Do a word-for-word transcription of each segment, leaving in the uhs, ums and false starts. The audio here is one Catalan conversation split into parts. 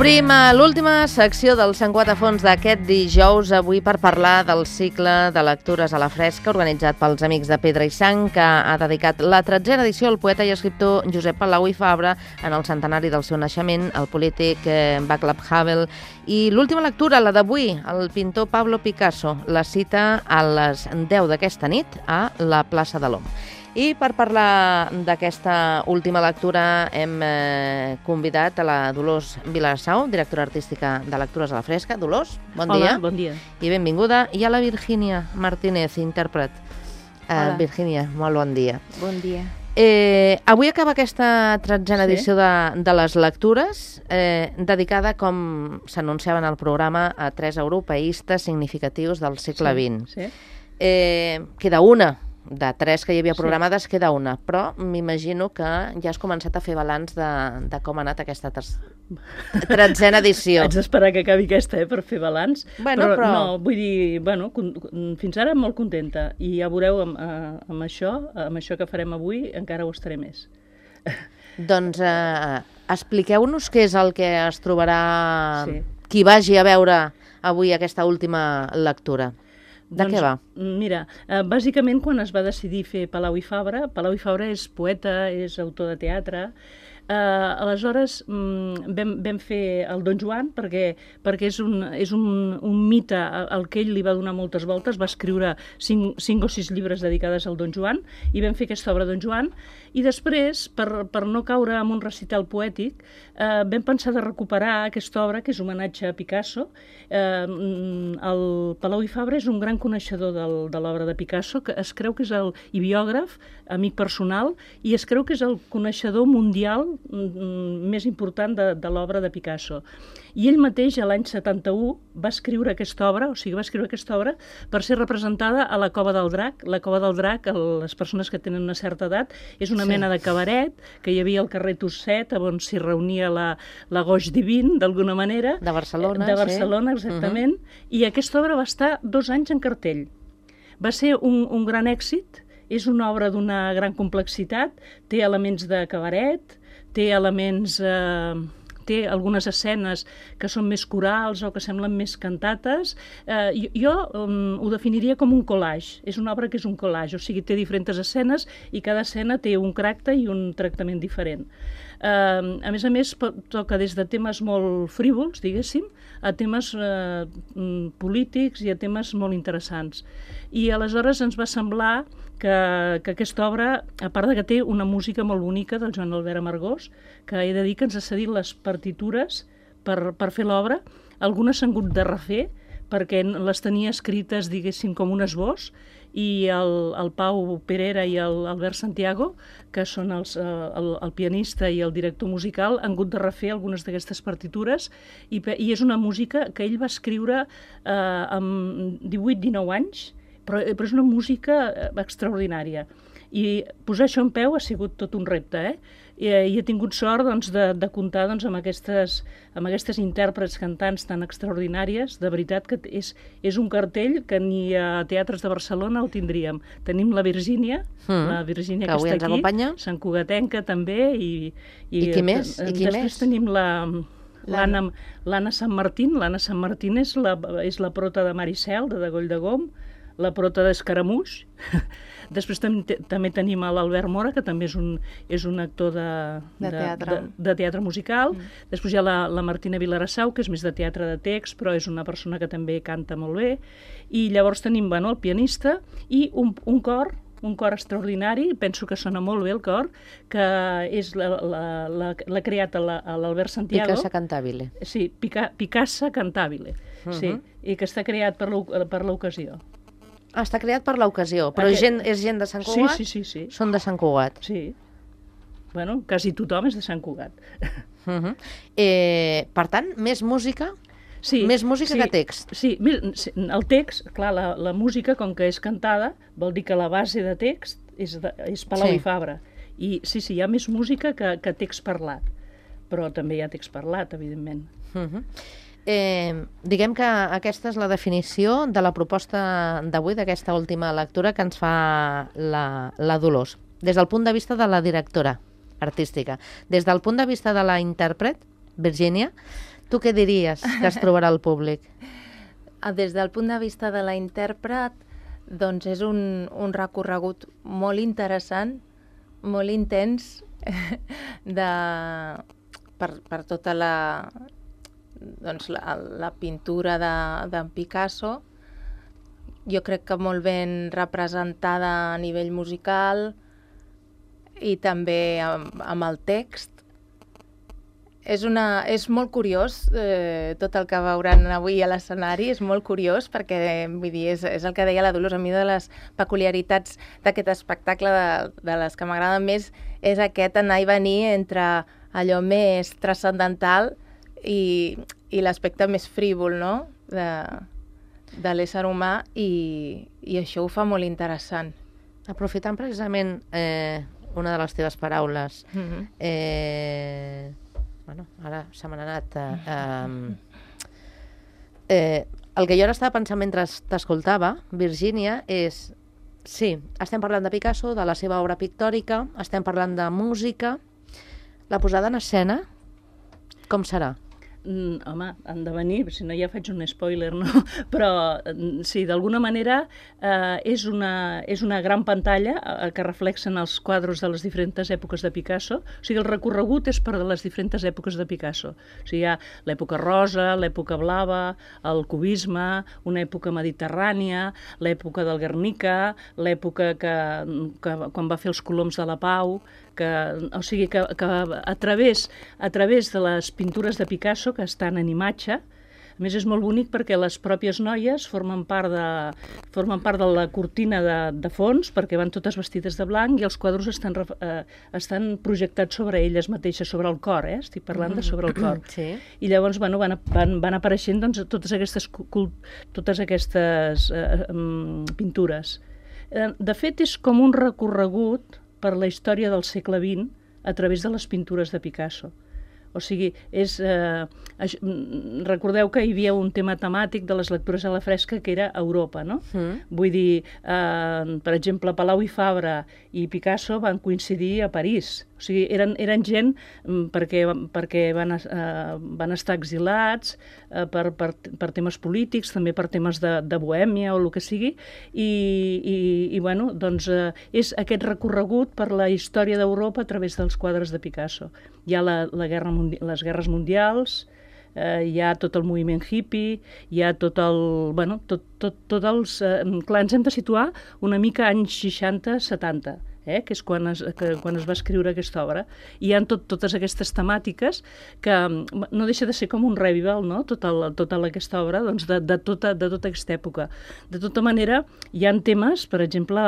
Obrim l'última secció del Sant Quatre Fons d'aquest dijous, avui per parlar del cicle de lectures a la fresca organitzat pels Amics de Pedra i Sang, que ha dedicat la tretzena edició al poeta i escriptor Josep Palau i Fabra en el centenari del seu naixement, el polític eh, Václav Havel, i l'última lectura, la d'avui, el pintor Pablo Picasso, la cita a les deu d'aquesta nit a la plaça de l'Om. I per parlar d'aquesta última lectura hem eh, convidat a la Dolors Vilassau, directora artística de Lectures a la Fresca. Dolors, bon Hola, dia. Hola, bon dia. I benvinguda. I a la Virgínia Martínez, intèrpret. Uh, Virgínia, molt bon dia. Bon dia. Eh, avui acaba aquesta tretzena Sí. edició de, de les lectures, eh, dedicada, com s'anunciava en el programa, a tres europeistes significatius del segle vint. Sí. Eh, queda una. De tres que hi havia programades, sí. Queda una, però m'imagino que ja has començat a fer balanç de, de com ha anat aquesta tretzena edició. Haig d'esperar que acabi aquesta, eh, per fer balanç. Bueno, però, però... no, vull dir, bueno, con, fins ara molt contenta, i ja veureu amb, amb això, amb això que farem avui, encara ho estaré més. Doncs eh, expliqueu-nos què és el que es trobarà sí. qui vagi a veure avui aquesta última lectura. De doncs, què va? Mira, eh, bàsicament quan es va decidir fer Palau i Fabra, Palau i Fabra és poeta, és autor de teatre, eh, aleshores mm, vam, vam fer el Don Joan perquè, perquè és, un, és un, un mite al que ell li va donar moltes voltes, va escriure cinc, cinc o sis llibres dedicades al Don Joan, i vam fer aquesta obra Don Joan, i després, per, per no caure en un recital poètic, eh, vam pensar de recuperar aquesta obra, que és homenatge a Picasso. Eh, el Palau i Fabra és un gran coneixedor del, de l'obra de Picasso, que es creu que és el i biògraf, amic personal, i es creu que és el coneixedor mundial mm, més important de, de l'obra de Picasso. I ell mateix, a l'any setanta-u, va escriure aquesta obra, o sigui, va escriure aquesta obra per ser representada a la Cova del Drac. La Cova del Drac, a les persones que tenen una certa edat, és una sí. mena de cabaret que hi havia al carrer Tusset, on s'hi reunia la, la Goix Divin, d'alguna manera. De Barcelona, De Barcelona, sí. Exactament. Uh-huh. I aquesta obra va estar dos anys en cartell. Va ser un, un gran èxit, és una obra d'una gran complexitat, té elements de cabaret, té elements... Eh, té algunes escenes que són més corals o que semblen més cantates. Eh, jo jo um, ho definiria com un collage. És una obra que és un collage, o sigui, té diferents escenes i cada escena té un caràcter i un tractament diferent. Eh, a més a més, toca des de temes molt frívols, diguéssim, a temes eh, polítics i a temes molt interessants. I aleshores ens va semblar que, que aquesta obra, a part de que té una música molt bonica del Joan Albert Amargós, que he de dir que ens ha cedit les partitures per, per fer l'obra, algunes s'han hagut de refer perquè les tenia escrites, diguéssim, com un esbós, i el, el Pau Perera i el Albert Santiago, que són els, el, el pianista i el director musical, han hagut de refer algunes d'aquestes partitures, i, i és una música que ell va escriure eh, amb divuit dinou anys, però, però és una música extraordinària. I posar això en peu ha sigut tot un repte, eh? I, i he tingut sort doncs, de, de comptar doncs, amb, aquestes, amb aquestes intèrprets cantants tan extraordinàries. De veritat que és, és un cartell que ni a teatres de Barcelona el tindríem. Tenim la Virgínia, mm, la Virgínia que, que està aquí, Sant Cugatenca també. I, i, I qui més? I qui després més? tenim la... L'Anna l'Anna Sant Martín. L'Anna Sant Martín és la, és la prota de Maricel, de Degoll de Gom, la prota d'Escaramuix. Després tam també tenim l'Albert Mora, que també és un, és un actor de, de, de, teatre. de, de teatre musical. Mm. Després hi ha la, la Martina Vilarassau, que és més de teatre de text, però és una persona que també canta molt bé. I llavors tenim bueno, el pianista i un, un cor, un cor extraordinari, penso que sona molt bé el cor, que és l'ha creat l'Albert Santiago. Picassa Cantabile. Sí, Pica, Picassa Cantabile, uh -huh. sí, i que està creat per l'ocasió. Ah, està creat per l'ocasió, però Aquest... gent, és gent de Sant Cugat? Sí, sí, sí, sí. Són de Sant Cugat? Sí. Bueno, quasi tothom és de Sant Cugat. Uh -huh. eh, per tant, més música? Sí, més música sí, que text? Sí, el text, clar, la, la música, com que és cantada, vol dir que la base de text és, de, és Palau sí. i Fabra. I sí, sí, hi ha més música que, que text parlat, però també hi ha text parlat, evidentment. Uh -huh. Eh, diguem que aquesta és la definició de la proposta d'avui, d'aquesta última lectura que ens fa la, la Dolors, des del punt de vista de la directora artística. Des del punt de vista de la intèrpret, Virgínia, Tu què diries que es trobarà el públic? Des del punt de vista de la intèrpret, doncs és un, un recorregut molt interessant, molt intens, de, per, per tota la, doncs, la, la pintura d'en de, Picasso. Jo crec que molt ben representada a nivell musical i també amb, amb el text. És, una, és molt curiós, eh, tot el que veuran avui a l'escenari, és molt curiós perquè, vull dir, és, és el que deia la Dolors, a mi de les peculiaritats d'aquest espectacle, de, de les que m'agraden més, és aquest anar i venir entre allò més transcendental i, i l'aspecte més frívol, no?, de, de l'ésser humà, i, i això ho fa molt interessant. Aprofitant precisament eh, una de les teves paraules, Mm-hmm. eh... Bueno, ara se m'han anat... Eh, eh, eh, el que jo ara estava pensant mentre t'escoltava, Virgínia, és... Sí, estem parlant de Picasso, de la seva obra pictòrica, estem parlant de música. La posada en escena, com serà? Mm, home, han de venir, si no ja faig un spoiler, no? Però sí, d'alguna manera eh, és, una, és una gran pantalla eh, que reflexen els quadres de les diferents èpoques de Picasso. O sigui, el recorregut és per les diferents èpoques de Picasso. O sigui, hi ha l'època rosa, l'època blava, el cubisme, una època mediterrània, l'època del Guernica, l'època que, que quan va fer els Coloms de la Pau, que, o sigui, que, que a, través, a través de les pintures de Picasso, que estan en imatge, a més és molt bonic perquè les pròpies noies formen part de, formen part de la cortina de, de fons, perquè van totes vestides de blanc i els quadros estan, eh, estan projectats sobre elles mateixes, sobre el cor, eh? Estic parlant de sobre el cor. Sí. I llavors bueno, van, van, van apareixent doncs, totes aquestes, totes aquestes eh, pintures. De fet, és com un recorregut per la història del segle vint a través de les pintures de Picasso. O sigui, és, eh, recordeu que hi havia un tema temàtic de les lectures a la fresca que era Europa, no? Mm. Vull dir, eh, per exemple, Palau i Fabra i Picasso van coincidir a París. O sigui, eren, eren gent perquè, perquè van, eh, van estar exilats eh, per, per, per temes polítics, també per temes de, de bohèmia o el que sigui, i, i, i bueno, doncs eh, és aquest recorregut per la història d'Europa a través dels quadres de Picasso. Hi ha la, la guerra les guerres mundials, eh, hi ha tot el moviment hippie, hi ha tot el... Bueno, tot, tot, tot els... Eh, clar, ens hem de situar una mica anys seixanta setanta, eh, que és quan es, que, quan es va escriure aquesta obra. I hi ha tot, totes aquestes temàtiques que no deixa de ser com un revival, no?, tota, la, tota aquesta obra, doncs, de, de, tota, de tota aquesta època. De tota manera, hi ha temes, per exemple,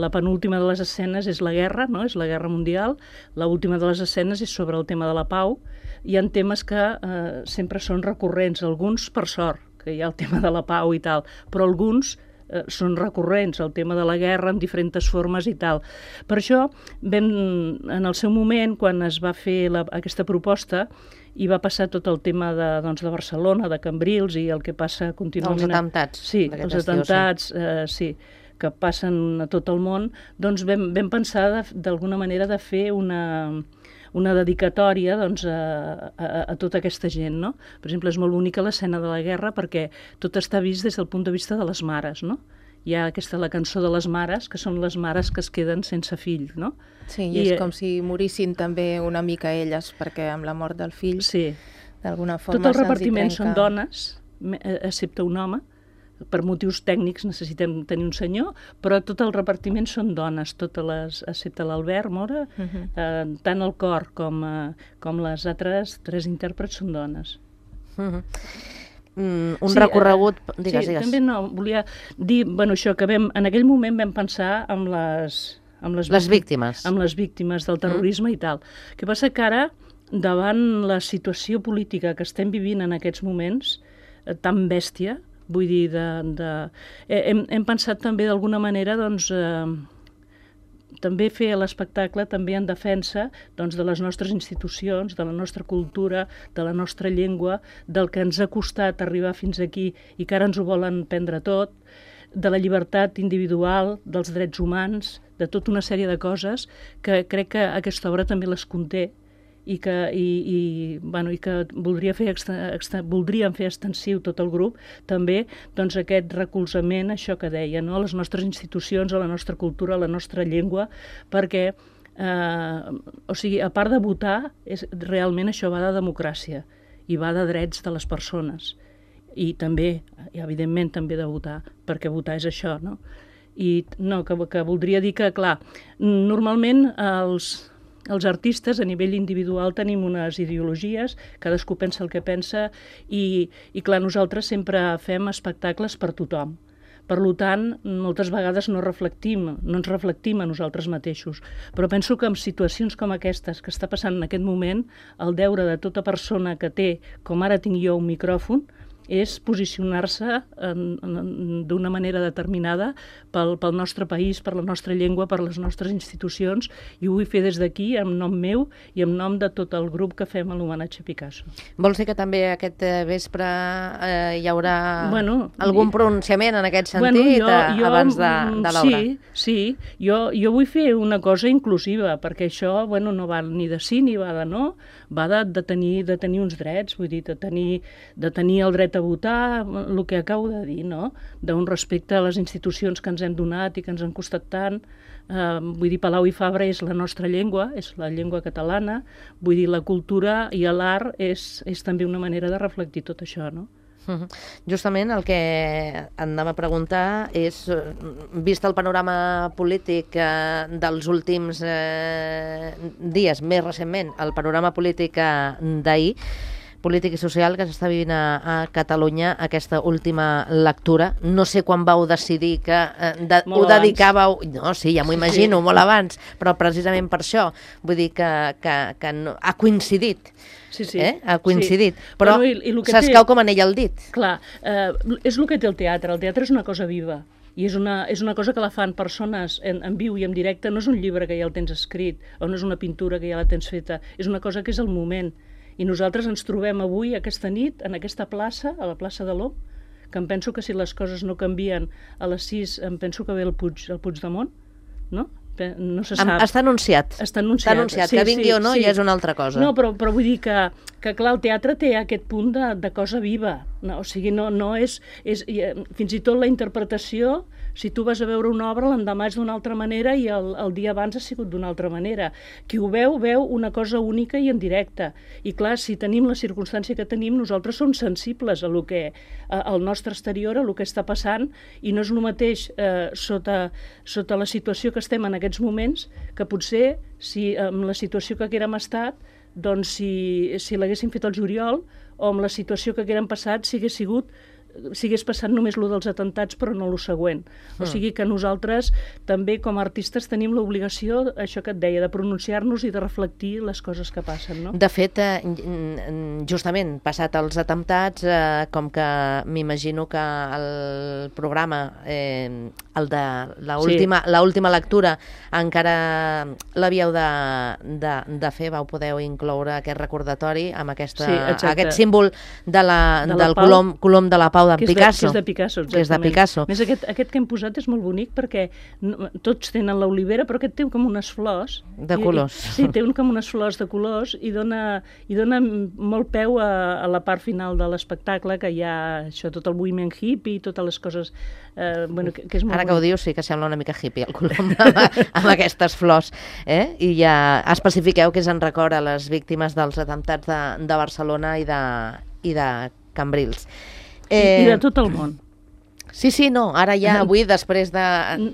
la penúltima de les escenes és la guerra, no?, és la guerra mundial, l'última de les escenes és sobre el tema de la pau. Hi ha temes que eh, sempre són recurrents, alguns per sort, que hi ha el tema de la pau i tal, però alguns eh, són recurrents, el tema de la guerra en diferents formes i tal. Per això, vam, en el seu moment, quan es va fer la, aquesta proposta, i va passar tot el tema de, doncs, de Barcelona, de Cambrils i el que passa contínuament... Els atemptats. Sí, els atemptats, eh, sí, que passen a tot el món, doncs vam, vam pensar d'alguna manera de fer una... una dedicatòria doncs, a, a, a tota aquesta gent, no? Per exemple, és molt bonica l'escena de la guerra perquè tot està vist des del punt de vista de les mares, no? Hi ha aquesta, la cançó de les mares, que són les mares que es queden sense fill, no? Sí, i, I és com si morissin també una mica elles, perquè amb la mort del fill, sí, d'alguna forma tot el repartiment trenca... són dones, excepte un home. Per motius tècnics necessitem tenir un senyor, però tot el repartiment són dones, totes les, excepte l'Albert Mora, uh-huh. eh, tant el cor com, eh, com les altres tres intèrprets són dones. Uh-huh. Mm, un sí, recorregut... Eh, digues, sí, digues. també no, volia dir, bueno, això, que vam, en aquell moment vam pensar amb les... Amb les, les víctimes. Amb les víctimes del terrorisme mm. i tal. El que passa que ara, davant la situació política que estem vivint en aquests moments, eh, tan bèstia, vull dir, de, de... Hem, hem pensat també d'alguna manera doncs, eh, també fer l'espectacle també en defensa doncs, de les nostres institucions, de la nostra cultura, de la nostra llengua, del que ens ha costat arribar fins aquí i que ara ens ho volen prendre tot, de la llibertat individual, dels drets humans, de tota una sèrie de coses que crec que aquesta obra també les conté i que, i, i, bueno, i que voldria fer exten, exten, voldríem fer extensiu tot el grup, també doncs, aquest recolzament, això que deia, no? A les nostres institucions, a la nostra cultura, a la nostra llengua, perquè, eh, o sigui, a part de votar, és, realment això va de democràcia i va de drets de les persones. I també, i evidentment, també de votar, perquè votar és això, no? I no, que, que voldria dir que, clar, normalment els... Els artistes, a nivell individual, tenim unes ideologies, cadascú pensa el que pensa i, i clar, nosaltres sempre fem espectacles per tothom. Per tant, moltes vegades no reflectim, no ens reflectim a nosaltres mateixos. Però penso que en situacions com aquestes que està passant en aquest moment, el deure de tota persona que té, com ara tinc jo, un micròfon, és posicionar-se d'una manera determinada pel, pel nostre país, per la nostra llengua, per les nostres institucions, i ho vull fer des d'aquí, en nom meu i en nom de tot el grup que fem l'homenatge a Picasso. Vols dir que també aquest vespre eh, hi haurà bueno, algun pronunciament en aquest sentit bueno, jo, jo, abans de, de l'obra? Sí, sí. Jo, jo vull fer una cosa inclusiva, perquè això bueno, no va ni de sí ni va de no, va de, de, tenir, de tenir uns drets, vull dir, de tenir, de tenir el dret a votar, el que acabo de dir, no? D'un respecte a les institucions que ens hem donat i que ens han costat tant. Eh, vull dir, Palau i Fabra és la nostra llengua, és la llengua catalana, vull dir, la cultura i l'art és, és també una manera de reflectir tot això, no? Uh-huh. Justament el que anava a preguntar és, vist el panorama polític eh, dels últims eh, dies, més recentment, el panorama polític eh, d'ahir, polític i social que s'està vivint a, a Catalunya, aquesta última lectura. No sé quan vau decidir que eh, de, ho abans. dedicàveu... No, sí, ja m'ho imagino, sí. molt abans, però precisament per això. Vull dir que, que, que no, ha coincidit. Sí, sí. Eh? Ha coincidit. Sí. Però bueno, i, i s'escau té... com anell al dit. Clar, eh, és el que té el teatre. El teatre és una cosa viva. I és una, és una cosa que la fan persones en, en viu i en directe. No és un llibre que ja el tens escrit, o no és una pintura que ja la tens feta. És una cosa que és el moment. I nosaltres ens trobem avui, aquesta nit, en aquesta plaça, a la plaça de l'Om, que em penso que si les coses no canvien a les sis, em penso que ve el Puig, el Puigdemont, no? No se sap. Està anunciat. Està anunciat. Està anunciat. Sí, que vingui sí, o no sí. ja és una altra cosa. No, però, però vull dir que, que clar, el teatre té aquest punt de, de cosa viva. No? O sigui, no, no és, és... Fins i tot la interpretació, si tu vas a veure una obra, l'endemà és d'una altra manera i el, el dia abans ha sigut d'una altra manera. Qui ho veu, veu una cosa única i en directe. I clar, si tenim la circumstància que tenim, nosaltres som sensibles a lo que, a, al nostre exterior, a lo que està passant, i no és el mateix eh, sota, sota la situació que estem en aquests moments, que potser, si amb la situació que haguérem estat, doncs si, si l'haguéssim fet al juliol, o amb la situació que haguérem passat, si hagués sigut si hagués passat només lo dels atentats però no lo següent. O sigui que nosaltres també com a artistes tenim l'obligació, això que et deia, de pronunciar-nos i de reflectir les coses que passen, no? De fet, eh, justament, passat els atemptats, eh, com que m'imagino que el programa, eh, el de l'última sí. l'última lectura, encara l'havíeu de, de, de fer, vau poder incloure aquest recordatori amb aquesta, sí, aquest símbol de la, de la del Pau. colom, colom de la Pau d'en Picasso. Que és de Picasso, exactament. Que és de Picasso. Més aquest, aquest que hem posat és molt bonic perquè no, tots tenen l'olivera, però aquest té com unes flors. De colors. I, sí, té un, com unes flors de colors i dona, i dona molt peu a, a la part final de l'espectacle, que hi ha això, tot el moviment hippie i totes les coses... Eh, bueno, que, que és molt Ara bonic. que ho dius, sí que sembla una mica hippie el colom amb, amb aquestes flors. Eh? I ja especifiqueu que és en record a les víctimes dels atemptats de, de Barcelona i de, i de Cambrils. Eh... I de tot el món. Sí, sí, no, ara ja avui, després de...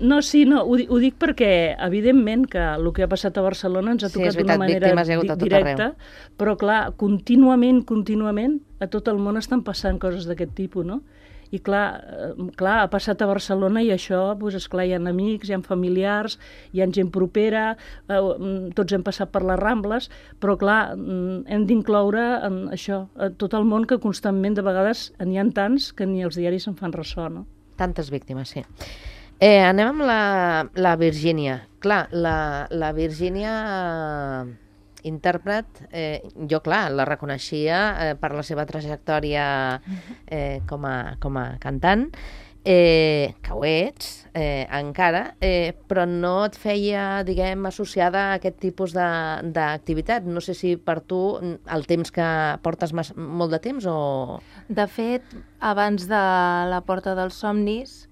No, sí, no, ho, ho dic perquè, evidentment, que el que ha passat a Barcelona ens ha tocat sí, d'una manera di directa, però, clar, contínuament, contínuament, a tot el món estan passant coses d'aquest tipus, no? I, clar, clar, ha passat a Barcelona i això, doncs, esclar, hi ha amics, hi ha familiars, hi ha gent propera, eh, tots hem passat per les Rambles, però, clar, hem d'incloure en això, a tot el món, que constantment, de vegades, n'hi ha tants que ni els diaris en fan ressò, no? Tantes víctimes, sí. Eh, anem amb la, la Virgínia. Clar, la, la Virgínia... Eh... intèrpret, eh, jo clar, la reconeixia eh, per la seva trajectòria eh, com, a, com a cantant eh, que ho ets, eh, encara, eh, però no et feia, diguem, associada a aquest tipus de- d'activitat. No sé si per tu el temps que portes mas, molt de temps o... De fet, abans de La Porta dels Somnis,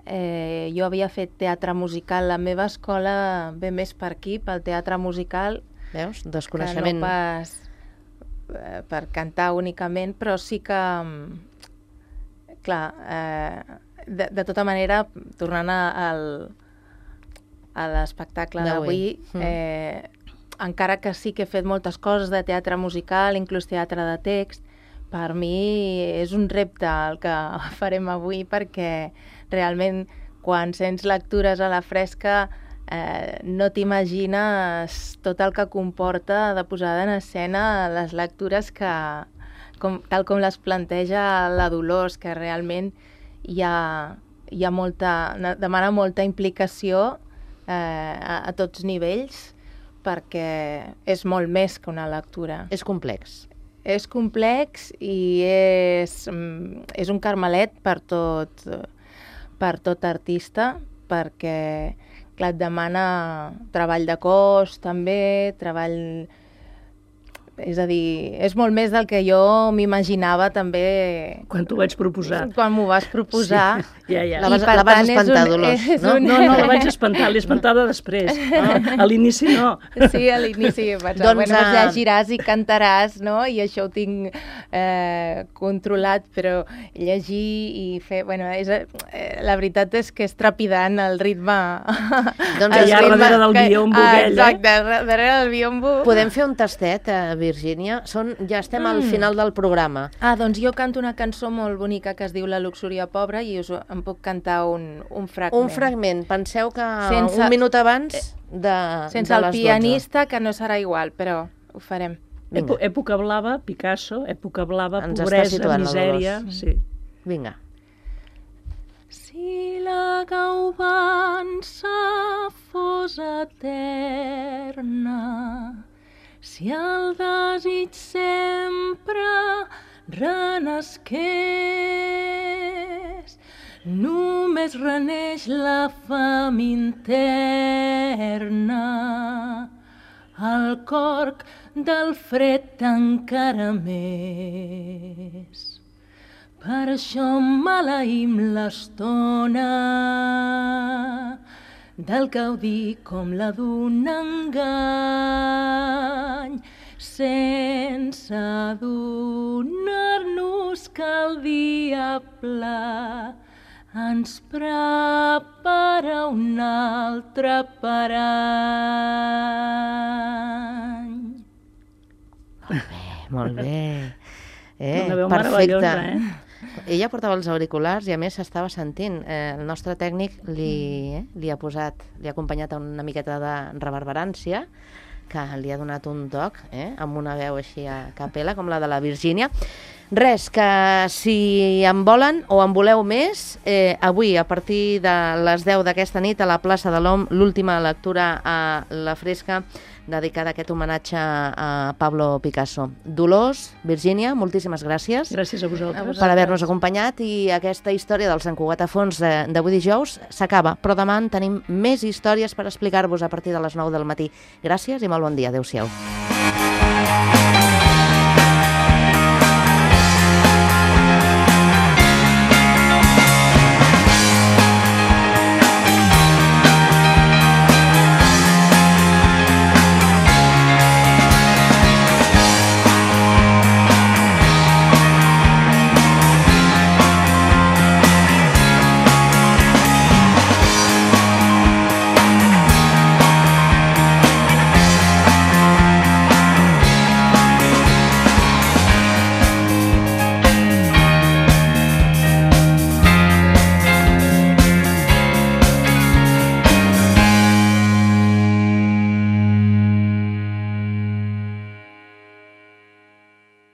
eh, jo havia fet teatre musical. La meva escola ve més per aquí, pel teatre musical, Veus? que Desconeixement. no pas eh, per cantar únicament, però sí que, mm, clar, eh, de, de tota manera, tornant a, al, a l'espectacle D'avui. d'avui, eh, encara que sí que he fet moltes coses de teatre musical, inclús teatre de text, per mi és un repte el que farem avui, perquè realment quan sents lectures a la fresca eh, no t'imagines tot el que comporta de posada en escena les lectures que, com, tal com les planteja la Dolors, que realment hi ha, hi ha molta, demana molta implicació eh, a, a tots nivells, perquè és molt més que una lectura. És complex. És complex i és, mm, és un carmelet per tot, per tot artista, perquè clar, et demana treball de cos també, treball... És a dir, és molt més del que jo m'imaginava també Quan t'ho vaig proposar. quan m'ho vas proposar. Sí, ja, ja. La I vas- per la vas tant és espantar, un- Dolors, és no? un- No, no, la vaig espantar, l'he espantada després. No, a l'inici no. Sí, a l'inici vaig dir, Doncs, bueno, doncs eh, llegiràs i cantaràs, no? I això ho tinc eh, controlat, però llegir i fer... Bueno, és, eh, la veritat és que és trepidant el ritme... Doncs el allà ritme darrere del que- biombo ah, aquell, eh? Exacte, eh? darrere del biombo. Podem fer un tastet, eh, Virgínia? Són, ja estem al final del programa. Ah, doncs jo canto una cançó molt bonica que es diu La luxúria pobra i us en puc cantar un, un fragment. Un fragment. Penseu que Sense- un minut abans de, Sense de el les pianista, que no serà igual, però ho farem. Vinga. Èpo- Època blava, Picasso, època blava, Ens està pobresa, situant la misèria... Dolors. Sí. dotze. Vinga. Si la gauvança fos eterna, si el desig sempre renesqués, només reneix la fam interna, el corc del fred encara més. Per això maleïm l'estona del gaudir com la d'un engany, sense adonar-nos que el diable ens prepara un altre parany. Molt bé, molt bé. Eh, Una veu perfecte. meravellosa, eh? Ella portava els auriculars i a més s'estava sentint. Eh, el nostre tècnic li, eh, li ha posat, li ha acompanyat una miqueta de reverberància, que li ha donat un toc, eh, amb una veu així a capella, com la de la Virgínia. Res, que si en volen o en voleu més, eh, avui a partir de les deu d'aquesta nit a la plaça de l'Om, l'última lectura a la Fresca, dedicada a aquest homenatge a Pablo Picasso. Dolors, Virgínia, moltíssimes gràcies. Gràcies a vosaltres. Per haver-nos acompanyat, i aquesta història del Sant Cugat a Fons d'avui dijous s'acaba, però demà en tenim més històries per explicar-vos a partir de les nou del matí. Gràcies i molt bon dia. Adéu-siau.